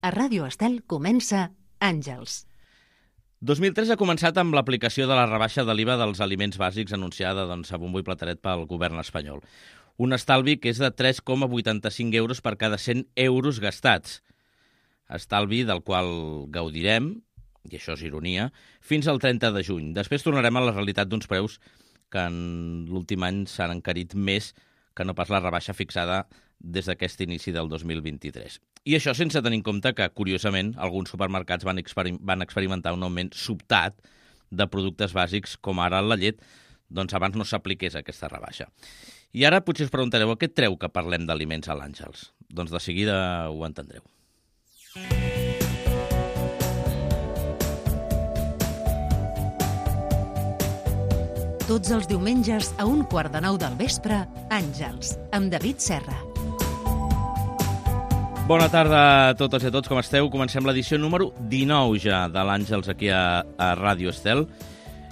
A Ràdio Estel comença Àngels. 2003 ha començat amb l'aplicació de la rebaixa de l'IVA dels aliments bàsics anunciada a bombo i plateret pel govern espanyol. Un estalvi que és de 3,85 euros per cada 100 euros gastats. Estalvi del qual gaudirem, i això és ironia, fins al 30 de juny. Després tornarem a la realitat d'uns preus que en l'últim any s'han encarit més que no pas la rebaixa fixada des d'aquest inici del 2023. I això sense tenir en compte que, curiosament, alguns supermercats van experimentar un augment sobtat de productes bàsics, com ara la llet, doncs abans no s'apliqués aquesta rebaixa. I ara potser us preguntareu a què treu que parlem d'aliments a l'Àngels. Doncs de seguida ho entendreu. Tots els diumenges a 8:45 del vespre, Àngels, amb David Serra. Bona tarda a totes i a tots, com esteu? Comencem l'edició número 19 ja de l'Àngels aquí a Ràdio Estel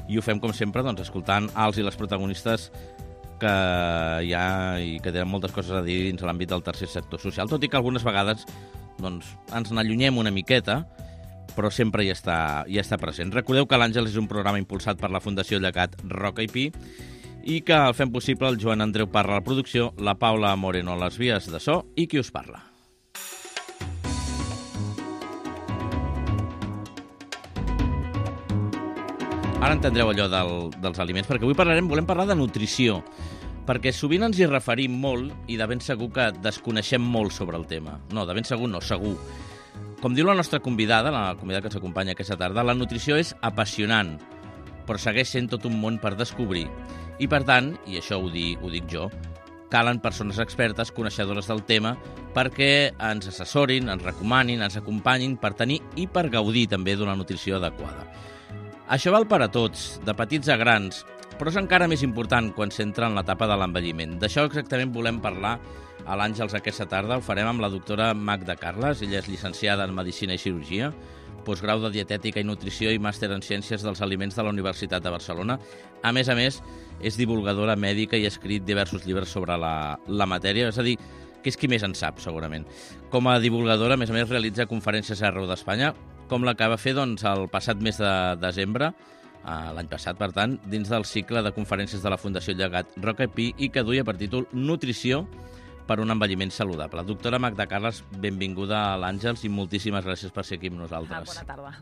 i ho fem, com sempre, escoltant els i les protagonistes que hi ha i que tenen moltes coses a dir dins l'àmbit del tercer sector social, tot i que algunes vegades ens n'allunyem una miqueta, però sempre hi està present. Recordeu que l'Àngels és un programa impulsat per la Fundació Llegat Roca i Pi i que el fem possible el Joan Andreu Parra a la producció, la Paula Moreno a les vies de so i qui us parla. Ara entendreu allò dels aliments, perquè avui volem parlar de nutrició, perquè sovint ens hi referim molt i de ben segur que desconeixem molt sobre el tema. No, de ben segur no, segur. Com diu la nostra convidada, la convidada que ens acompanya aquesta tarda, la nutrició és apassionant, però segueix sent tot un món per descobrir. I per tant, i això ho dic jo, calen persones expertes, coneixedores del tema, perquè ens assessorin, ens recomanin, ens acompanyin per tenir i per gaudir també d'una nutrició adequada. Això val per a tots, de petits a grans, però és encara més important quan s'entra en l'etapa de l'envelliment. D'això exactament volem parlar a l'Àngels aquesta tarda. Ho farem amb la doctora Magda Carles. Ella és llicenciada en Medicina i Cirurgia, postgrau de Dietètica i Nutrició i màster en Ciències dels Aliments de la Universitat de Barcelona. A més, és divulgadora mèdica i ha escrit diversos llibres sobre la matèria, és a dir, que és qui més en sap, segurament. Com a divulgadora, a més, realitza conferències arreu d'Espanya, com la que va fer el passat mes de desembre, l'any passat, per tant, dins del cicle de conferències de la Fundació Llegat Roca i Pi i que duia per títol Nutrició per un envelliment saludable. Doctora Magda Carles, benvinguda a l'Àngels i moltíssimes gràcies per ser aquí amb nosaltres. Bona tarda.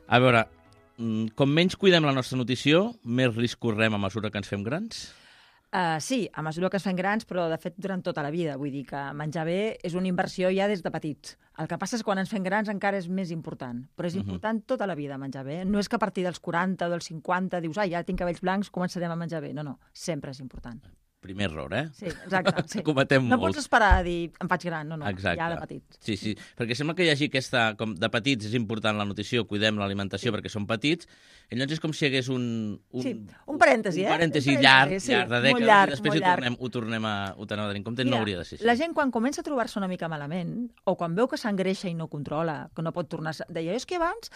A veure, com menys cuidem la nostra nutrició, més risc correm a mesura que ens fem grans? Sí, a mesura que es fan grans, però de fet durant tota la vida. Vull dir que menjar bé és una inversió ja des de petits. El que passa és que quan ens fem grans encara és més important, però és important tota la vida menjar bé. No és que a partir dels 40 o dels 50 dius, ja tinc cabells blancs, començarem a menjar bé. No, sempre és important. Primer error, Sí, exacte. Sí. Cometem no molts. Pots esperar a dir, em faig gran, no, Exacte. ja de petits. Sí, perquè sembla que hi hagi aquesta, com de petits és important la nutrició, cuidem l'alimentació perquè són petits, i llavors és com si hi hagués un parèntesi, un parèntesi llarg de dècades, llarg, i després ho tornem a tenir en compte. Mira, no hauria de ser així. La gent quan comença a trobar-se una mica malament, o quan veu que s'engreixa i no controla, que no pot tornar... Deia, és que abans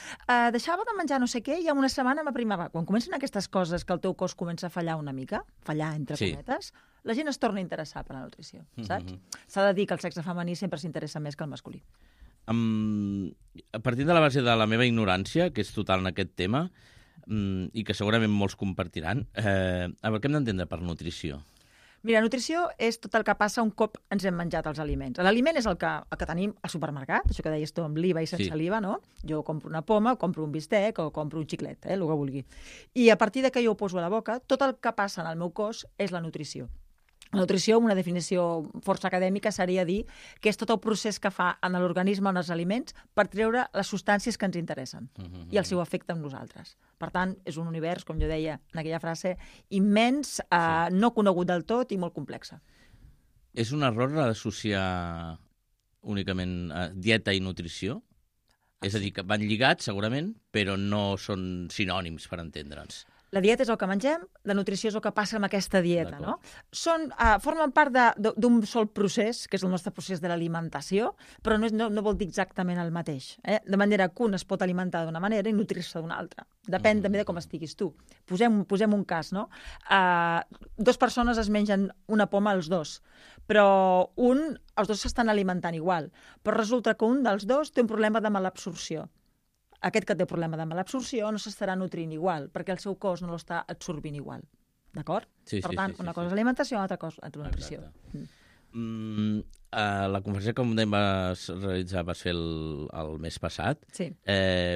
deixava de menjar no sé què i en una setmana m'aprimava. Quan comencen aquestes coses que el teu cos comença a fallar una mica, entre cometes, la gent es torna a interessar per la nutrició, saps? S'ha de dir que el sexe femení sempre s'interessa més que el masculí. A partir de la base de la meva ignorància, que és total en aquest tema, i que segurament molts compartiran, a veure, què hem d'entendre per nutrició? Mira, nutrició és tot el que passa un cop ens hem menjat els aliments. L'aliment és el que tenim al supermercat, això que deies tu amb l'IVA i sense l'IVA, no? Jo compro una poma, compro un bistec o compro un xiclet, el que vulgui. I a partir de que jo ho poso a la boca, tot el que passa en el meu cos és la nutrició. La nutrició, una definició força acadèmica, seria dir que és tot el procés que fa en l'organisme, en els aliments, per treure les substàncies que ens interessen i el seu efecte en nosaltres. Per tant, és un univers, com jo deia en aquella frase, immens, no conegut del tot i molt complex. És un error associar únicament dieta i nutrició? És a dir, que van lligats, segurament, però no són sinònims, per entendre'ns. La dieta és el que mengem, la nutrició és el que passa amb aquesta dieta, no? Formen part d'un sol procés, que és el nostre procés de l'alimentació, però no vol dir exactament el mateix. De manera que un es pot alimentar d'una manera i nutrir-se d'una altra. Depèn també de com estiguis tu. Posem un cas, no? Dues persones es mengen una poma els dos, però els dos s'estan alimentant igual, però resulta que un dels dos té un problema de malabsorció. Aquest que té problema de malabsorció no s'estarà nutrint igual, perquè el seu cos no l'està absorbint igual. D'acord? Per tant, una cosa és alimentació, una altra cosa és nutrició. La conferència que vas realitzar va ser el mes passat. Sí.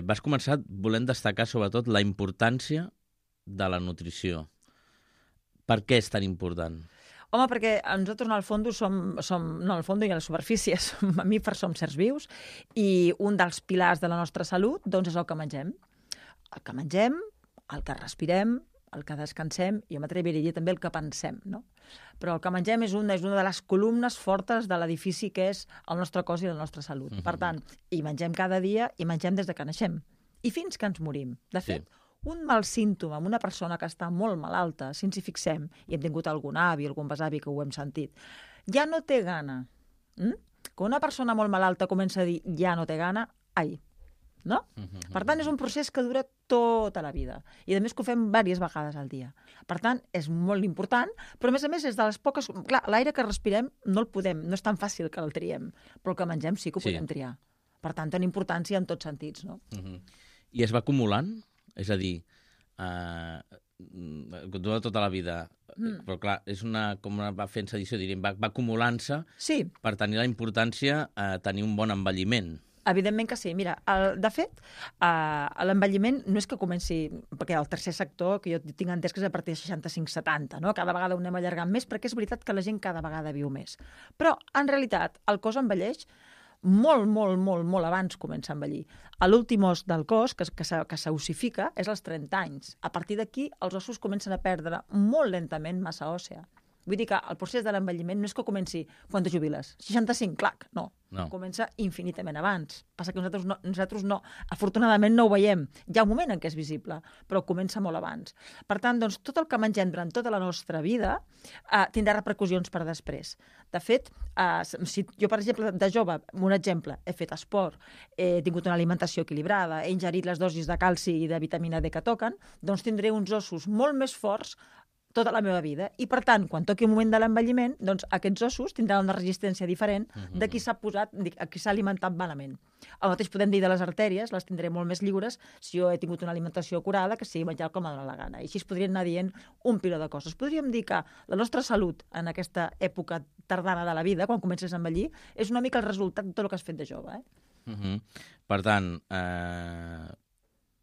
Vas començar volent destacar sobretot la importància de la nutrició. Per què és tan important? Home, perquè nosaltres, al fons, al fons i a la superfície, som mamífers, som sers vius, i un dels pilars de la nostra salut doncs, és el que mengem. El que mengem, el que respirem, el que descansem, i jo m'atreviria a dir també el que pensem, no? Però el que mengem és una de les columnes fortes de l'edifici que és el nostre cos i la nostra salut. Per tant, hi mengem cada dia i mengem des de que naixem. I fins que ens morim. De fet, un mal símptoma en una persona que està molt malalta, si ens hi fixem, i hem tingut algun avi, algun besavi que ho hem sentit, ja no té gana. Quan una persona molt malalta comença a dir ja no té gana, ai, no? Per tant, és un procés que dura tota la vida. I a més que ho fem diverses vegades al dia. Per tant, és molt important, però a més és de les poques... Clar, l'aire que respirem no és tan fàcil que el triem, però el que mengem sí que ho podem triar. Per tant, té importància en tots sentits, no? I es va acumulant? És a dir, dura tota la vida, però clar, és com va fent sedició, diríem, va acumulant-se per tenir la importància a tenir un bon envelliment. Evidentment que sí. Mira, de fet, l'envelliment no és que comenci, perquè el tercer sector, que jo tinc entès que és a partir de 65-70, no? Cada vegada ho anem allargant més, perquè és veritat que la gent cada vegada viu més. Però, en realitat, el cos envelleix molt abans comença a envellir. L'últim os del cos, que s'ossifica, és als 30 anys. A partir d'aquí, els ossos comencen a perdre molt lentament massa òssea. Vull dir que el procés de l'envelliment no és que comenci quan te jubiles. 65, clac, no. Comença infinitament abans. Passa que nosaltres no, afortunadament no ho veiem. Hi ha un moment en què és visible, però comença molt abans. Per tant, doncs, tot el que mengem durant tota la nostra vida tindrà repercussions per després. De fet, si jo, per exemple, de jove, un exemple, he fet esport, he tingut una alimentació equilibrada, he ingerit les dosis de calci i de vitamina D que toquen, doncs tindré uns ossos molt més forts tota la meva vida. I, per tant, quan toqui un moment de l'envelliment, doncs aquests ossos tindran una resistència diferent de qui s'ha alimentat malament. El mateix podem dir de les artèries, les tindré molt més lliures si jo he tingut una alimentació curada que sigui menjar com em dóna la gana. I així es podrien anar dient un piló de coses. Podríem dir que la nostra salut en aquesta època tardana de la vida, quan comences a envellir, és una mica el resultat de tot el que has fet de jove. Per tant,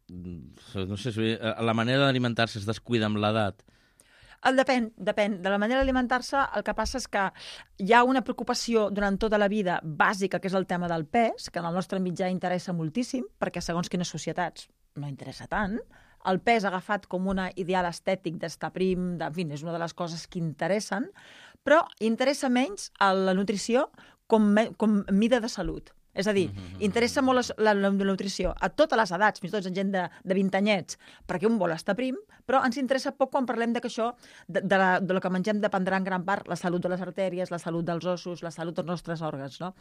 no sé si la manera d'alimentar-se es descuida amb l'edat. Depèn. De la manera d'alimentar-se, el que passa és que hi ha una preocupació durant tota la vida bàsica, que és el tema del pes, que en el nostre mitjà interessa moltíssim, perquè segons quines societats no interessa tant. El pes agafat com un ideal estètic d'estar prim, en fi, és una de les coses que interessen, però interessa menys la nutrició com mida de salut. És a dir, interessa molt la nutrició a totes les edats, fins i tot gent de 20 anyets, perquè un vol estar prim, però ens interessa poc quan parlem que això, de lo que mengem, dependrà en gran part la salut de les artèries, la salut dels ossos, la salut dels nostres òrgans, no?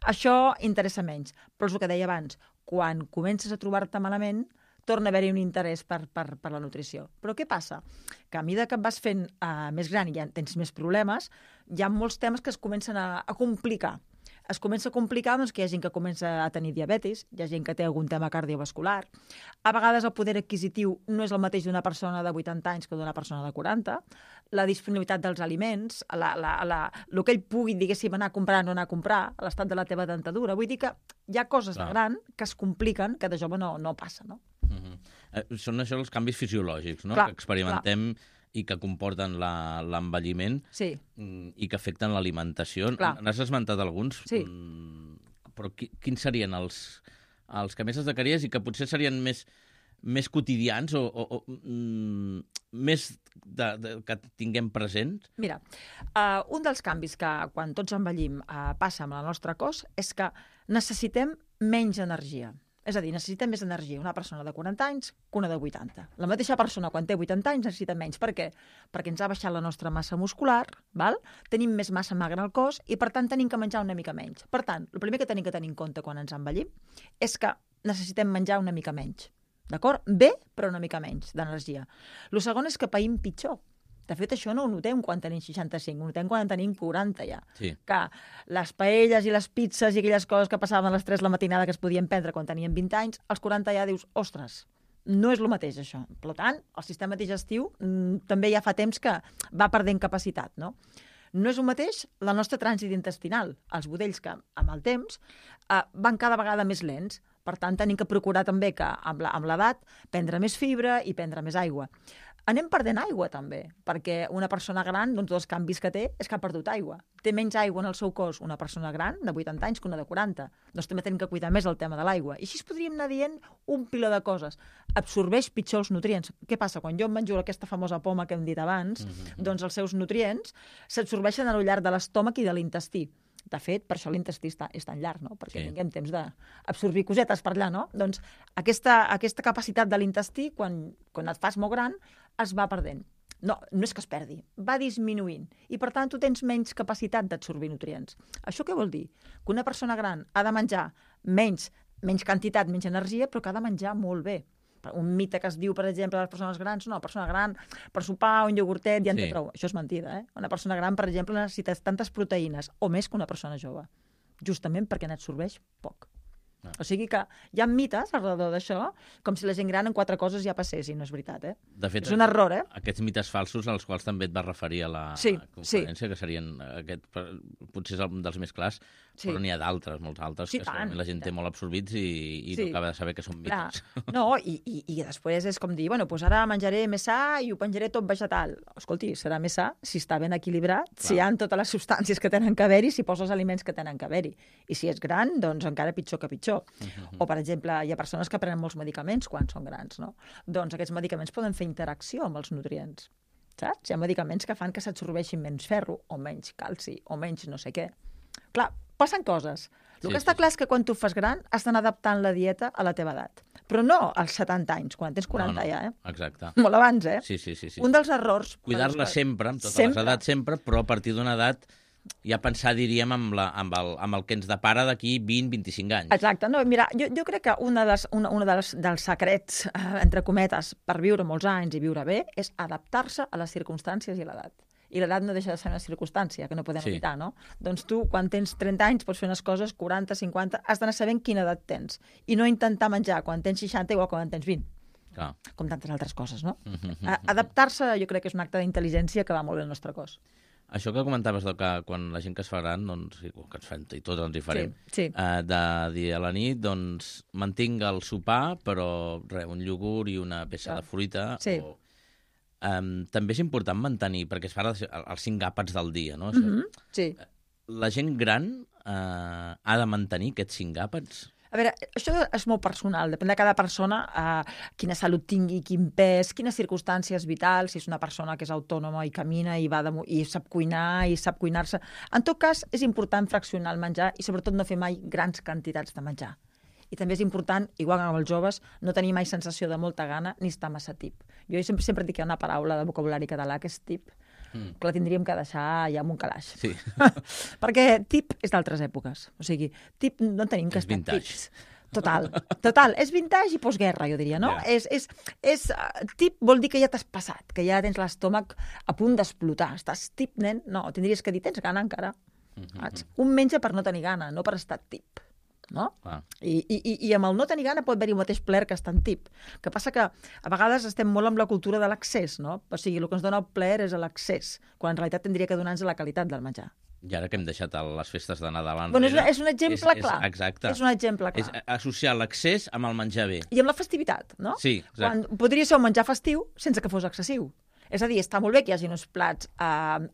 Això interessa menys. Però és el que deia abans, quan comences a trobar-te malament, torna a haver-hi un interès per la nutrició. Però què passa? Que a mesura que et vas fent més gran i ja tens més problemes, hi ha molts temes que es comencen a complicar. Es comença a complicar doncs, que hi ha gent que comença a tenir diabetis, hi ha gent que té algun tema cardiovascular. A vegades el poder adquisitiu no és el mateix d'una persona de 80 anys que d'una persona de 40. La disponibilitat dels aliments, el que ell pugui, diguéssim, anar a comprar o no anar a comprar, l'estat de la teva dentadura. Vull dir que hi ha coses de gran que es compliquen que de jove no passa, no? Són això els canvis fisiològics, no? Que experimentem i que comporten l'envelliment i que afecten l'alimentació. N'has esmentat alguns, però quins serien els que més es destacaries i que potser serien més quotidians o més que tinguem presents? Mira, un dels canvis que quan tots envellim passa amb el nostre cos és que necessitem menys energia. És a dir, necessita més energia una persona de 40 anys que una de 80. La mateixa persona, quan té 80 anys, necessita menys. Per què? Perquè ens ha baixat la nostra massa muscular, val? Tenim més massa magra al cos i, per tant, tenim que menjar una mica menys. Per tant, el primer que tenim que tenir en compte quan ens envellim és que necessitem menjar una mica menys. D'acord? Bé, però una mica menys d'energia. El segon és que païm pitjor. De fet, això no ho notem quan tenim 65, ho notem quan tenim 40 ja. Sí. Que les paelles i les pizzas i aquelles coses que passaven a les 3 la matinada que es podien prendre quan teníem 20 anys, als 40 ja dius, ostres, no és el mateix això. Per tant, el sistema digestiu també ja fa temps que va perdent capacitat, no? No és el mateix la nostra trànsit intestinal. Els budells que, amb el temps, van cada vegada més lents. Per tant, tenim que procurar també que, amb l'edat, prendre més fibra i prendre més aigua. Anem perdent aigua, també, perquè una persona gran, doncs, dels canvis que té, és que ha perdut aigua. Té menys aigua en el seu cos una persona gran de 80 anys que una de 40. Doncs també tenim que cuidar més el tema de l'aigua. I així podríem anar dient un piló de coses. Absorbeix pitjor els nutrients. Què passa? Quan jo em menjo aquesta famosa poma que hem dit abans, doncs els seus nutrients s'absorbeixen al llarg de l'estómac i de l'intestí. De fet, per això l'intestí és tan llarg, no? Perquè tinguem temps d'absorbir cosetes per allà, no? Doncs aquesta capacitat de l'intestí, quan et fas molt gran, es va perdent. No és que es perdi, va disminuint. I, per tant, tu tens menys capacitat d'absorbir nutrients. Això què vol dir? Que una persona gran ha de menjar menys quantitat, menys energia, però que ha de menjar molt bé. Un mite que es diu, per exemple, a les persones grans, no, una persona gran, per sopar un iogurtet ja en té prou. Això és mentida, eh? Una persona gran, per exemple, necessita tantes proteïnes o més que una persona jove, justament perquè n'absorbeix poc. O sigui que hi ha mites alrededor d'això, com si la gent gran en 4 coses ja passessin, no és veritat, eh? De fet, és un error, eh? Aquests mites falsos als quals també et vas referir a la conferència, que serien potser és un dels més clars, però n'hi ha d'altres, molts altres, que segurament la gent té molt absorbits i no acaba de saber que són mites. No, i després és com dir, bueno, doncs ara menjaré més sa i ho penjaré tot vegetal. Escolti, serà més sa si està ben equilibrat, si hi ha totes les substàncies que tenen que haver-hi, si posa els aliments que tenen que haver-hi. I si és gran, doncs encara pitjor que pitjor. O, per exemple, hi ha persones que prenen molts medicaments quan són grans, no? Doncs aquests medicaments poden fer interacció amb els nutrients, saps? Hi ha medicaments que fan que s'absorbeixin menys ferro, o menys calci, o menys no sé què. Clar, passen coses. El que està clar és que quan tu fas gran has d'anar adaptant la dieta a la teva edat. Però no als 70 anys, quan tens 40 ja, eh? Exacte. Molt abans, eh? Sí. Un dels errors... Cuidar-la sempre, amb totes les edats sempre, però a partir d'una edat ja pensar, diríem, amb el que ens depara d'aquí 20-25 anys. Exacte. No, mira, jo crec que un dels secrets, entre cometes, per viure molts anys i viure bé, és adaptar-se a les circumstàncies i a l'edat. I l'edat no deixa de ser una circumstància que no podem evitar, no? Doncs tu, quan tens 30 anys, pots fer unes coses, 40, 50, has d'anar sabent quina edat tens. I no intentar menjar quan tens 60 igual quan tens 20. Clar. Com tantes altres coses, no? Adaptar-se, jo crec que és un acte d'intel·ligència que va molt bé al nostre cos. Això que comentaves que quan la gent que es fa gran, doncs, que ens fem, i tots ens hi farem, de dir a la nit, doncs, mantinc el sopar, però un iogurt i una peça de fruita. També és important mantenir, perquè es fa els 5 àpats del dia, no? La gent gran ha de mantenir aquests 5 àpats? A veure, això és molt personal, depèn de cada persona, quina salut tingui, quin pes, quines circumstàncies vitals, si és una persona que és autònoma i camina i sap cuinar i sap cuinar-se. En tot cas, és important fraccionar el menjar i sobretot no fer mai grans quantitats de menjar. I també és important, igual que amb els joves, no tenir mai sensació de molta gana ni estar massa tip. Jo sempre dic que hi ha una paraula de vocabulari català que és tip, que la tindríem que deixar ja amb un calaix. Sí. Perquè tip és d'altres èpoques. O sigui, tip no tenim que estar tips. Total. És vintage i postguerra, jo diria, no? Tip vol dir que ja t'has passat, que ja tens l'estómac a punt d'explotar. Estàs tip, nen? No, tindries que dir, tens gana encara. Un menja per no tenir gana, no per estar tip. No? I amb el no tenir gana pot haver-hi el mateix plaer que estar en tip. El que passa que a vegades estem molt amb la cultura de l'accés, no? O sigui, el que ens dona el plaer és l'accés, quan en realitat tindria que donar-nos la qualitat del menjar. I ara que hem deixat les festes de Nadal enrere... Bueno, és un exemple clar. Exacte. És un exemple clar. És associar l'accés amb el menjar bé. I amb la festivitat, no? Sí, exacte. Podria ser un menjar festiu sense que fos excessiu. És a dir, està molt bé que hi hagi uns plats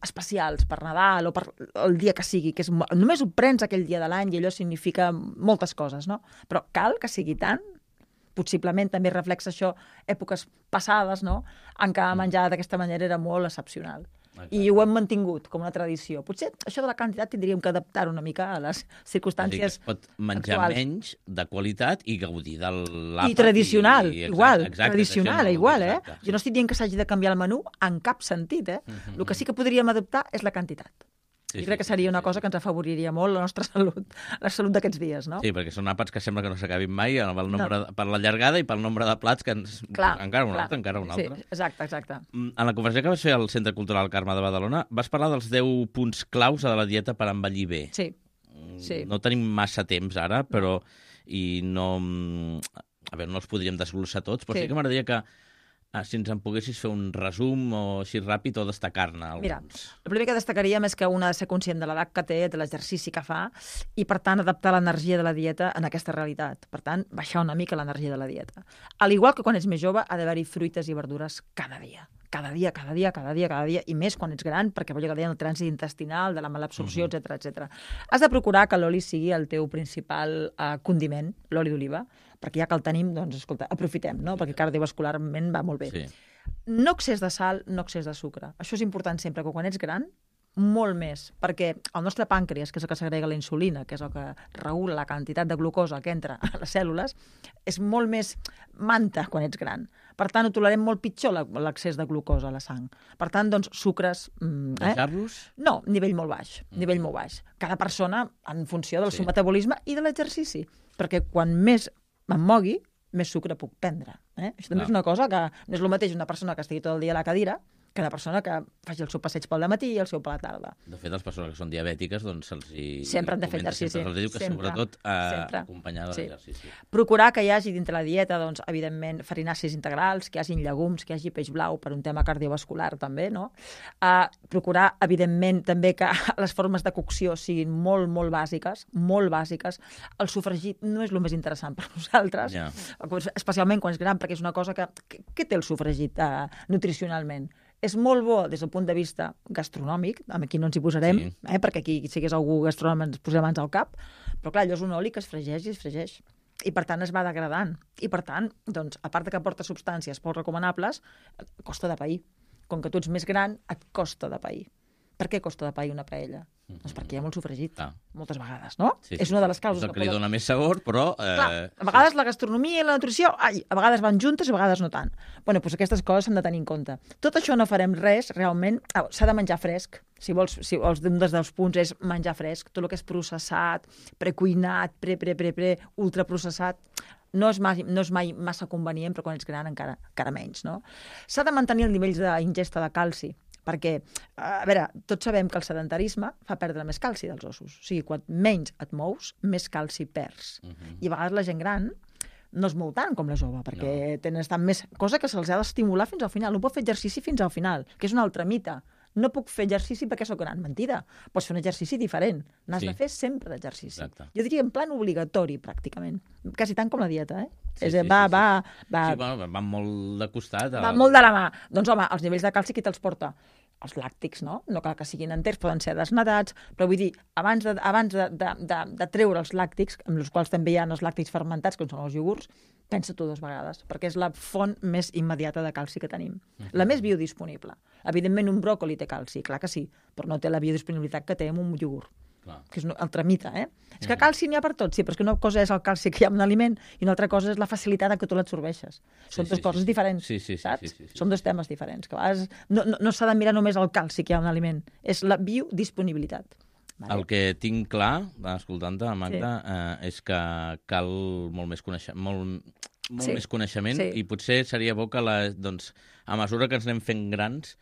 especials per Nadal o per el dia que sigui, que només ho prens aquell dia de l'any i allò significa moltes coses, no? Però cal que sigui tant, possiblement també reflexa això èpoques passades, no?, en què menjar d'aquesta manera era molt excepcional. I ho hem mantingut com una tradició. Potser això de la quantitat tindríem que adaptar una mica a les circumstàncies es pot menjar actuals. menys, de qualitat, i gaudir de l'àpat. I tradicional, igual. Exacte, Tradicional, això igual, exacte, Jo no estic dient que s'hagi de canviar el menú en cap sentit, El que sí que podríem adaptar és la quantitat. Jo crec que seria una cosa que ens afavoriria molt la nostra salut, la salut d'aquests dies, no? Sí, perquè són àpats que sembla que no s'acabin mai per la llargada i pel nombre de plats que encara un altre. Sí, exacte. En la conversació que vas fer al Centre Cultural Carme de Badalona vas parlar dels 10 punts claus de la dieta per envellir bé. Sí. No tenim massa temps ara, però i no... A veure, no els podríem desglossar tots, però sí que m'agradaria que si ens en poguessis fer un resum o així ràpid o destacar-ne alguns. Mira, el primer que destacaríem és que un ha de ser conscient de l'edat que té, de l'exercici que fa, i per tant adaptar l'energia de la dieta en aquesta realitat. Per tant, baixar una mica l'energia de la dieta. Al igual que quan ets més jove, ha d'haver-hi fruites i verdures cada dia. Cada dia, i més quan ets gran, perquè vol dir que el trànsit intestinal, de la malabsorció, etc. Has de procurar que l'oli sigui el teu principal condiment, l'oli d'oliva, perquè ja que el tenim, doncs, escolta, aprofitem, no? Perquè cardiovascularment va molt bé. Sí. No excés de sal, no excés de sucre. Això és important sempre, que quan ets gran, molt més, perquè el nostre pàncreas, que és el que segrega la insulina, que és el que regula la quantitat de glucosa que entra a les cèl·lules, és molt més manta quan ets gran. Per tant, ho tolerem molt pitjor l'excés de glucosa a la sang. Per tant, doncs, sucres... Deixar-los? No, nivell molt baix. Cada persona en funció del seu metabolisme i de l'exercici. Perquè quan més em mogui, més sucre puc prendre. Això també és una cosa que no és el mateix una persona que estigui tot el dia a la cadira que una persona que faci el seu passeig pel matí i el seu per la tarda. De fet, les persones que són diabètiques, doncs se'ls hi... Sempre han de fer exercici. Se'ls diu que sobretot acompanyar de l'exercici. Procurar que hi hagi dintre la dieta, doncs, evidentment, farinàcies integrals, que hi hagi llegums, que hi hagi peix blau per un tema cardiovascular també, no? Procurar, evidentment, també que les formes de cocció siguin molt, molt bàsiques. El sofregit no és el més interessant per nosaltres, especialment quan és gran, perquè és una cosa que... Què té el sofregit nutricionalment? És molt bo des del punt de vista gastronòmic, aquí no ens hi posarem, perquè aquí si hagués algú gastronòmic ens posem mans al cap, però clar, allò és un oli que es fregeix i es fregeix. I per tant es va degradant. I per tant, doncs, a part que porta substàncies poc recomanables, costa de pair. Com que tu ets més gran, et costa de pair. Per què costa de pair una paella? Doncs perquè hi ha molt sofregit, moltes vegades, no? És una de les causes. És el que li dona més sabor, però... Clar, a vegades la gastronomia i la nutrició, a vegades van juntes i a vegades no tant. Bé, doncs aquestes coses s'han de tenir en compte. Tot això no farem res, realment, s'ha de menjar fresc. Si vols, un dels punts és menjar fresc. Tot el que és processat, precuinat, ultraprocessat, no és mai massa convenient, però quan ets gran encara menys, no? S'ha de mantenir el nivell d'ingesta de calci, perquè, a veure, tots sabem que el sedentarisme fa perdre més calci dels ossos. O sigui, quan menys et mous, més calci perds. I a vegades la gent gran no es mou tant com la jove, perquè tenen més cosa que se'ls ha d'estimular fins al final. No pot fer exercici fins al final, que és un altre mite. No puc fer exercici perquè sóc gran. Mentida. Pots fer un exercici diferent. N'has de fer sempre d'exercici. Jo diria en plan obligatori, pràcticament. Quasi tant com la dieta, Va molt de costat. Va molt de la mà. Doncs, home, els nivells de calci qui te'ls porta? Els làctics, no? No cal que siguin enters, poden ser desnatats, però vull dir, abans de treure els làctics, amb els quals també hi ha els làctics fermentats, com són els iogurts, pensa-t'ho 2 vegades, perquè és la font més immediata de calci que tenim. La més biodisponible. Evidentment, un bròcoli té calci, clar que sí, però no té la biodisponibilitat que té en un iogurt. Que és un altre mite, És que calci n'hi ha per tot, sí, però és que una cosa és el calci que hi ha en un aliment i una altra cosa és la facilitat en què tu l'absorbeixes. Són 2 coses diferents, saps? Són 2 temes diferents, que a vegades no s'ha de mirar només el calci que hi ha en un aliment, és la biodisponibilitat. El que tinc clar, escoltant-te, Magda, és que cal molt més coneixement i potser seria bo que, a mesura que ens anem fent grans,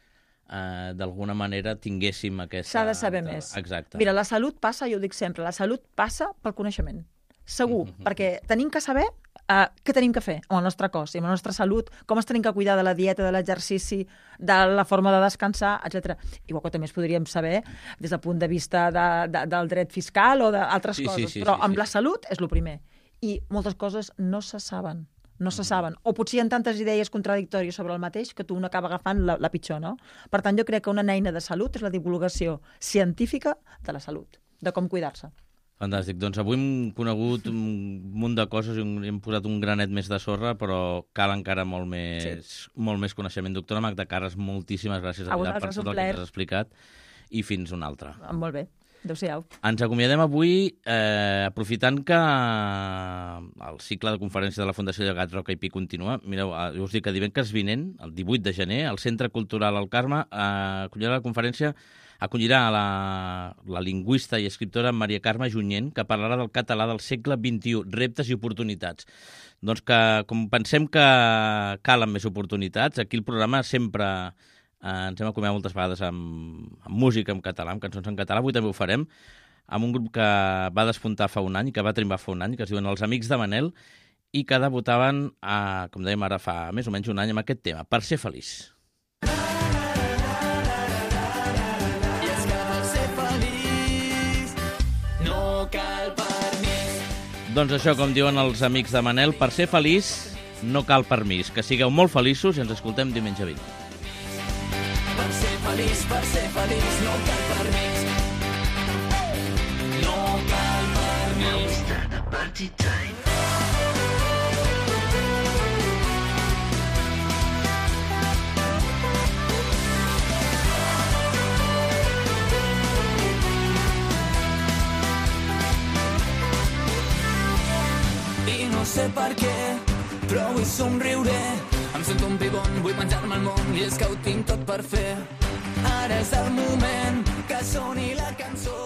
d'alguna manera tinguéssim aquesta... S'ha de saber més. Exacte. Mira, la salut passa, jo ho dic sempre, la salut passa pel coneixement. Segur, perquè tenim que saber què tenim que fer amb el nostre cos i amb la nostra salut, com ens tenim que cuidar de la dieta, de l'exercici, de la forma de descansar, etc. Igual que també es podríem saber des del punt de vista del dret fiscal o d'altres coses, però amb la salut és el primer. I moltes coses no se saben. O potser hi ha tantes idees contradictòries sobre el mateix que tu un acaba agafant la pitjor, no? Per tant, jo crec que una eina de salut és la divulgació científica de la salut, de com cuidar-se. Fantàstic. Doncs avui hem conegut un munt de coses i hem posat un granet més de sorra, però cal encara molt més coneixement. Doctora Magda Carres, moltíssimes gràcies per tot el que ens has explicat i fins una altra. Molt bé. Adéu-siau. Ens acomiadem avui aprofitant que el cicle de conferències de la Fundació Llegat Roca i Pi continua. Mireu, jo us dic que divendres vinent, el 18 de gener, al Centre Cultural El Carme acollirà la conferència acollirà la lingüista i escriptora Maria Carme Junyent, que parlarà del català del segle XXI, reptes i oportunitats. Doncs que, com pensem que calen més oportunitats, aquí el programa sempre ens hem acomiadat moltes vegades amb música en català, amb cançons en català. Avui també ho farem amb un grup que va despuntar fa un any, que va triomfar fa un any, que es diuen Els Amics de Manel, i que debutaven, com dèiem ara fa més o menys un any, amb aquest tema, Per ser feliç. Doncs això, com diuen els Amics de Manel, per ser feliç no cal permís. Que sigueu molt feliços i ens escoltem diumenge vinent. Per ser feliç no cal permís. No cal permís. Now we start the party time. No sé per què, però vull somriure. Em sento un pibon, vull menjar-me el món i és que ho tinc tot per fer. Ara és el moment que soni la cançó.